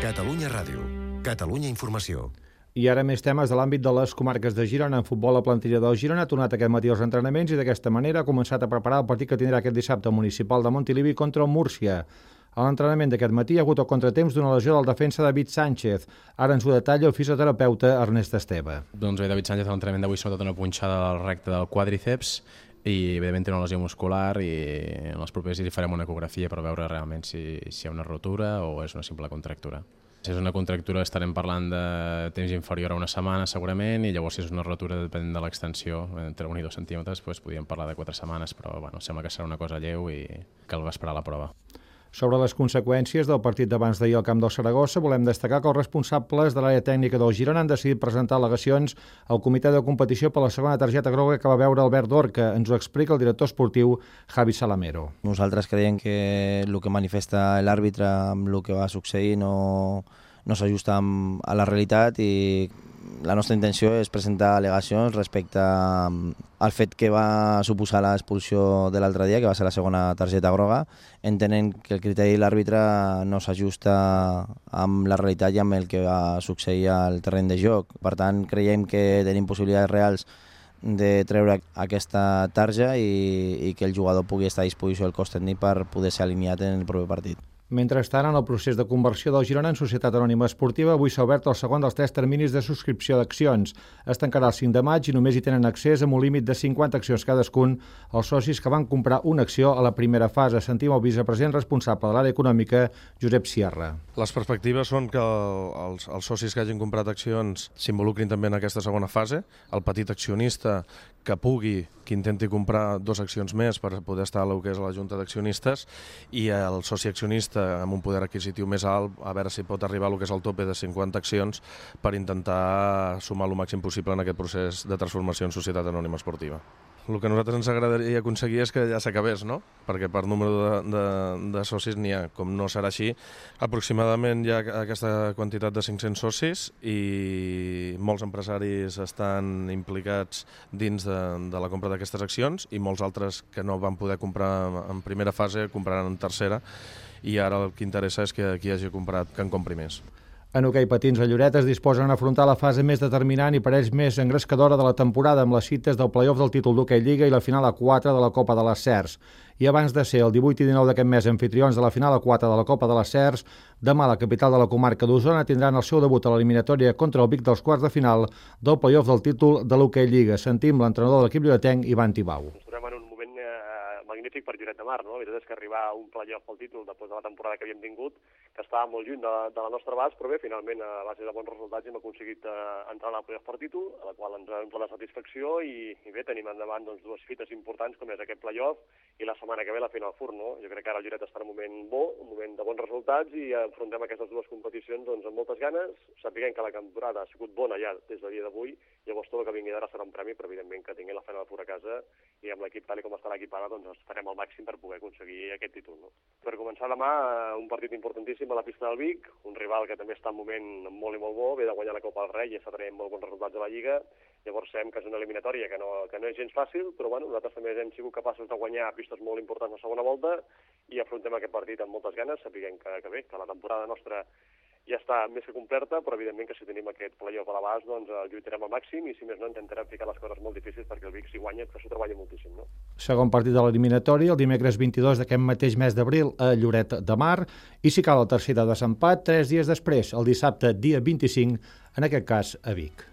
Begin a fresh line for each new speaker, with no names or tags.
Catalunya Ràdio. Catalunya Informació.
I ara més temes de l'àmbit de les comarques de Girona. En futbol, la plantilla del Girona ha tornat aquest matí als entrenaments i d'aquesta manera ha començat a preparar el partit que tindrà aquest dissabte municipal de Montilivi contra el Múrcia. A l'entrenament d'aquest matí hi ha hagut el contratemps d'una lesió del defensa David Sánchez. Ara ens ho detalla el fisioterapeuta Ernest Esteve.
Doncs bé, David Sánchez a l'entrenament d'avui s'ha notat una punxada del recte del quàdriceps i evidentment té una lesió muscular i en els propers dies farem una ecografia per veure realment si hi ha una rotura o és una simple contractura. Si és una contractura estarem parlant de temps inferior a una setmana segurament, i llavors si és una rotura depèn de l'extensió, entre 1 i 2 centímetres, doncs podríem parlar de 4 setmanes, però bueno, sembla que serà una cosa lleu i cal esperar la prova.
Sobre les conseqüències del partit d'abans d'ahir al camp del Saragossa, volem destacar que els responsables de l'àrea tècnica del Girona han decidit presentar al·legacions al comitè de competició per la segona targeta groga que va veure Albert Dorca. Ens ho explica el director esportiu Javi Salamero.
Nosaltres creiem que el que manifesta l'àrbitre amb el que va succeir no s'ajusta a la realitat i la nostra intenció és presentar al·legacions respecte al fet que va suposar l'expulsió de l'altre dia, que va ser la segona targeta groga, entenent que el criteri de l'àrbitre no s'ajusta amb la realitat i amb el que va succeir al terreny de joc. Per tant, creiem que tenim possibilitats reals de treure aquesta tarja i que el jugador pugui estar a disposició del cos tècnic per poder ser alineat en el proper partit.
Mentrestant, en el procés de conversió del Girona en Societat Anònima Esportiva, avui s'ha obert el segon dels 3 terminis de subscripció d'accions. Es tancarà el 5 de maig i només hi tenen accés amb un límit de 50 accions cadascun els socis que van comprar una acció a la primera fase. Sentim el vicepresident responsable de l'àrea econòmica, Josep Sierra.
Les perspectives són que els socis que hagin comprat accions s'involucrin també en aquesta segona fase. El petit accionista que pugui, que intenti comprar 2 accions més per poder estar a lo que és la Junta d'Accionistes, i el soci accionista amb un poder adquisitiu més alt, a veure si pot arribar a lo que és el tope de 50 accions per intentar sumar el màxim possible en aquest procés de transformació en Societat Anònima Esportiva. El que a nosaltres ens agradaria aconseguir és que ja s'acabés, no? Perquè per número de socis n'hi ha. Com no serà així, aproximadament hi ha aquesta quantitat de 500 socis i molts empresaris estan implicats dins de la compra d'aquestes accions i molts altres que no van poder comprar en primera fase compraran en tercera, i ara el que interessa és que qui hagi comprat que en compri més.
En hoquei patins, a Lloret es disposen a afrontar la fase més determinant i per ells més engrescadora de la temporada amb les cites del play-off del títol d'hoquei Lliga i la final A4 de la Copa de les Cers. I abans de ser el 18 i 19 d'aquest mes anfitrions de la final A4 de la Copa de les Cers, demà la capital de la comarca d'Osona tindran el seu debut a l'eliminatòria contra el Vic dels quarts de final del play-off del títol de l'hoquei Lliga. Sentim l'entrenador de l'equip lloretenc, Ivan Tibau.
Ens trobem en un moment magnífic per Lloret de Mar, no? La veritat és que arribar a un play-off pel títol després de la temporada que havíem tingut, que estava molt lluny de la nostra abast, però bé, finalment, a base de bons resultats hem aconseguit entrar a la play-off per títol, a la qual ens ha donat la satisfacció i bé, tenim endavant doncs, 2 fites importants com és aquest play-off i la setmana que ve la final FUR, no? Jo crec que ara el Lloret està en un moment bo, un moment de bons resultats i afrontem aquestes 2 competicions doncs, amb moltes ganes, sapiguem que la temporada ha sigut bona ja des del dia d'avui, llavors tot el que vingui d'ara serà un premi, però evidentment que tinguem la final FUR a casa i amb l'equip tal com està l'equip ara, doncs farem el màxim per poder aconseguir aquest títol, no? Per començar demà, un partit importantíssim a la pista del Vic, un rival que també està en un moment molt i molt bo, ve de guanyar la Copa del Rei i està tenint molt bons resultats a la Lliga, llavors sabem que és una eliminatòria que no és gens fàcil, però bueno, nosaltres també hem sigut capaços de guanyar pistes molt importants a la segona volta i afrontem aquest partit amb moltes ganes, sapiguem que bé, que la temporada nostra ja està més que completa, però evidentment que si tenim aquest play-off a l'abast, doncs lluitarem al màxim i si més no intentarem ficar les coses molt difícils perquè el Vic si guanya, que s'ho treballa moltíssim, no?
Segon partit de l'eliminatòria, el dimecres 22 d'aquest mateix mes d'abril a Lloret de Mar, i si cal el tercer de desempat, 3 dies després, el dissabte dia 25, en aquest cas a Vic.